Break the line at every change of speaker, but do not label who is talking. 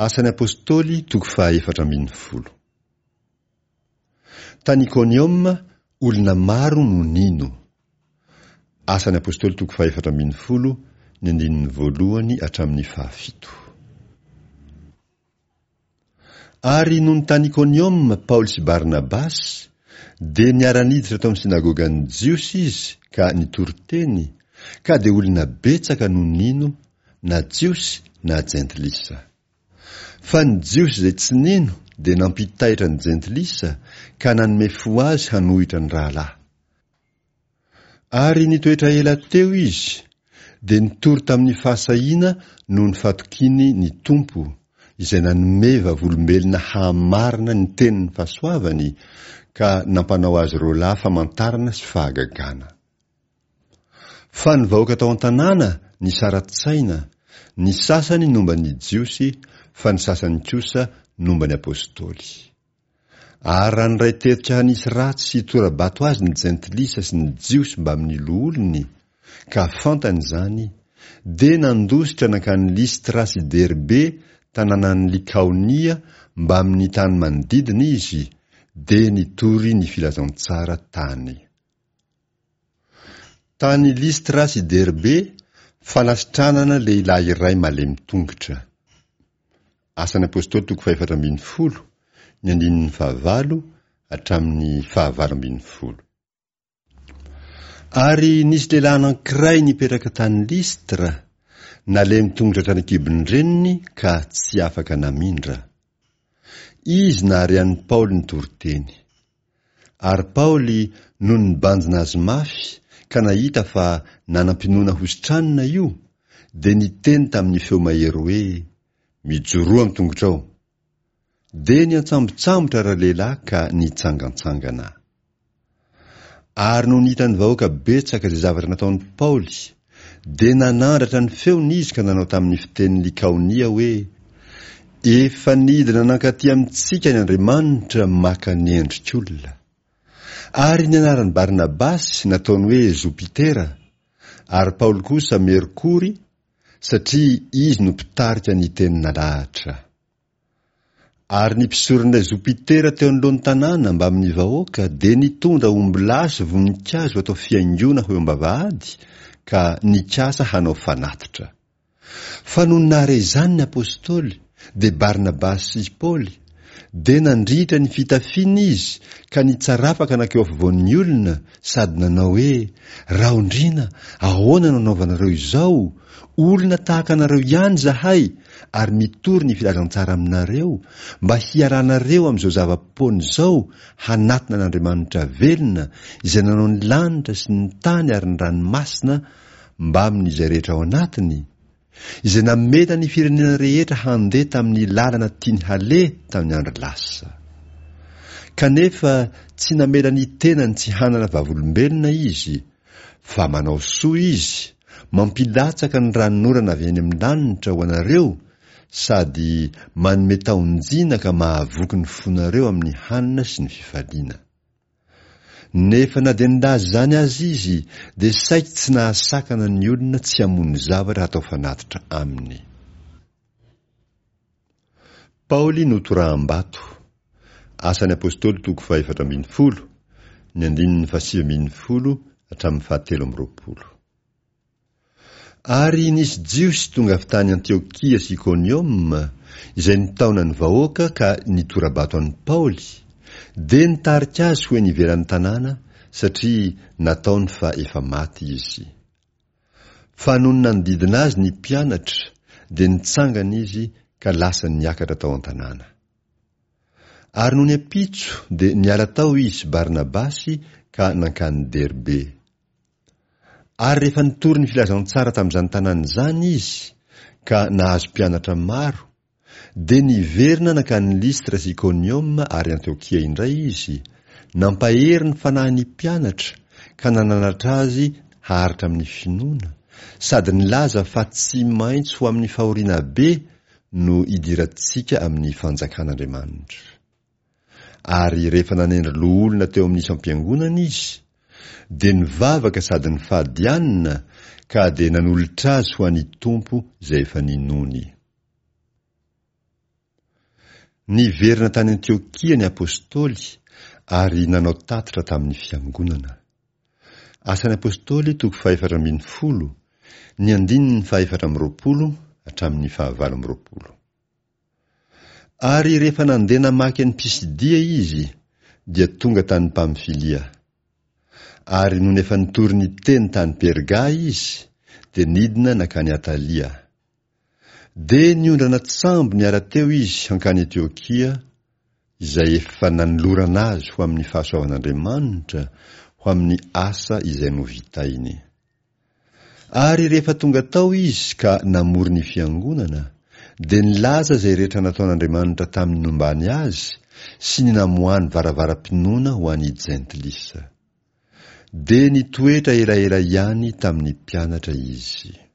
Asan'ny Apostoly toko faha 14. Tany Ikonioma, olona maro no nino. Asan'ny Apostoly toko faha 14, ny andininy voalohany hatramin'ny fahafito. Ary nony tany Ikonioma Paoly sy Barnabasy, dia niara-niditra tao amin'ny synagogan'ny Jiosy izy ka nitory teny, ka dia olona betsaka no nino, na Jiosy na Jentilisa. Fa ny Jiosy izay tsy nino dia nampitaitra ny Jentilisa ka nanome fo azy hanohitra ny rahalahy. Ary nitoetra ela teo izy, dia nitory tamin'ny fahasahiana noho ny fatokiany ny Tompo, izay nanome vavolombelona hahamarina ny tenin'ny fahasoavany ka nampanao azy roalahy famantarana sy fahagagana. Fa ny vahoaka tao an-tanàna nisara-tsaina, ny sasany nomba ny Jiosy, fa ny sasany kosa nomba ny Apostoly. Ary raha niray tetika hanisy ratsy sy hitora-bato azy ny Jentilisa sy ny Jiosy mbamin'ny loholony, ka fantany izany, dia nandositra nankany Lystra sy Derbe, tanànan'i Lykaonia, mbamin'ny tany manodidina izy, dia nitory ny filazantsara tany. Tany Lystra sy Derbe, fanasitranana lehilahy iray malemy tongotra. Asan'ny Apostoly toko fahefatra ambin'ny folo, ny andininy fahavalo hatramin'ny fahavalo ambin'ny folo. Ary nisy lehilahy anankiray nipetraka tany Lystra, nalemy tongotra hatrany an-kibon-dreniny ka tsy afaka namindra. Izy nahare an'i Paoly nitory teny. Ary Paoly nony nibanjina azy mafy ka nahita fa nanam-pinoana hositranina io, dia niteny tamin'ny feo mahery hoe, Mijoroa amin'ny tongotrao. Dia niantsambotsambotra ralehilahy ka nitsangantsangana. Ary nony hitan'ny vahoaka betsaka izay zavatra nataon'i Paoly, dia nanandratra ny feony izy ka nanao tamin'ny fiteny Likaonia hoe, Efa nidina nankaty amintsika ny Andriamanitra maka ny endrik'olona. Ary ny anaran'i Barnabasy nataony hoe Jopitera, ary Paoly kosa Merkory, satria izy no mpitarika ny teny nalahatra. Ary ny mpisoron'ilay Jopitera teo anoloan'ny tanàna mbamin'ny vahoaka dia nitondra ombilahy sy voninkazo atao fihaingoana ho eo am-bavahady ka nikasa hanao fanatitra. Fa nony nahare izany ny apostoly, dia Barnabasy sy Paoly, dia nandritra ny fitafiany izy ka nitsarapaka nankeo afovoan'ny olona sady nanao hoe, Raondriana, ahoana no anaovanareo izao? Olona tahaka anareo ihany izahay ary mitory ny filazantsara aminareo mba hialanareo amin'izao zava-poana izao hanatona an'Andriamanitra velona izay nanao ny lanitra sy ny tany ary ny ranomasina mbamin'izay rehetra ao anatiny, izay namela ny firenena rehetra handeha tamin'ny lalana tiany haleha tamin'ny andro lasa. Kanefa tsy namela ny tenany tsy hanana vavolombelona izy, Fa manao soa izy, mampilatsaka ny ranonorana avy any amin'ny lanitra ho anareo, sady manome taon-jina ka mahavoky ny fonareo amin'ny hanina sy ny fifaliana. Nefa na dia nilaza izany aza izy, dia saiky tsy nahasakana ny olona tsy hamono zavatra hatao fanatitra aminy. Paoly notoraham-bato. Asan'ny Apostoly toko fahefatra ambin'ny folo, ny andininy fahasivy ambin'ny folo hatramin'ny fahatelo amby roapolo. Ary nisy Jiosy tonga avy tany Antiokia sy Ikonioma, izay nitaona ny vahoaka ka nitora-bato an'i Paoly, dia nitarika azy ho eny ivelan'ny tanàna, satria nataony fa efa maty izy. Fa nony nanodidina azy ny mpianatra, dia nitsangana izy ka lasa niakatra tao an-tanàna. Ary nony ampitso dia niala tao izy sy Barnabasy ka nankany Derbe. Ary rehefa nitory ny filazantsara tamin'izany tanàna izany izy, ka nahazo mpianatra maro, Dia niverina nankany Lystra sy Ikonioma ary Antiokia indray izy, nampahery ny fanahin'ny mpianatra ka nananatra azy haharitra amin'ny finoana, sady nilaza fa tsy maintsy ho amin'ny fahoriana be no hidirantsika amin'ny fanjakan'Andriamanitra. Ary rehefa nanendry loholona teo amin'ny isam-piangonana izy, dia nivavaka sady nifady hanina ka dia nanolotra azy ho an'ny Tompo izay efa ninoany. Niverina tany Antiokia ny apostoly ary nanao tatitra tamin'ny fiangonana. Asan'ny Apostoly toko fahefatra ambinifolo, ny andininy fahefatra amby roapolo hatramin'ny fahavalo amby roapolo. Ary rehefa nandeha namaky an'i Pisidia izy, dia tonga tany Pamfilia. Ary nony efa nitory ny teny tany Perga izy, dia nidina nankany Atalia. Dia niondrana tsambo niala teo izy hankany Etiokia, izay efa nanolorana azy ho amin'ny fahasoavan'Andriamanitra ho amin'ny asa izay novitainy. Ary rehefa tonga tao izy ka namory ny fiangonana, dia nilaza izay rehetra nataon'Andriamanitra tamin'ny nombany azy sy ny namoahany varavaram-pinoana ho an'ny Jentilisa. Dia nitoetra elaela ihany tamin'ny mpianatra izy.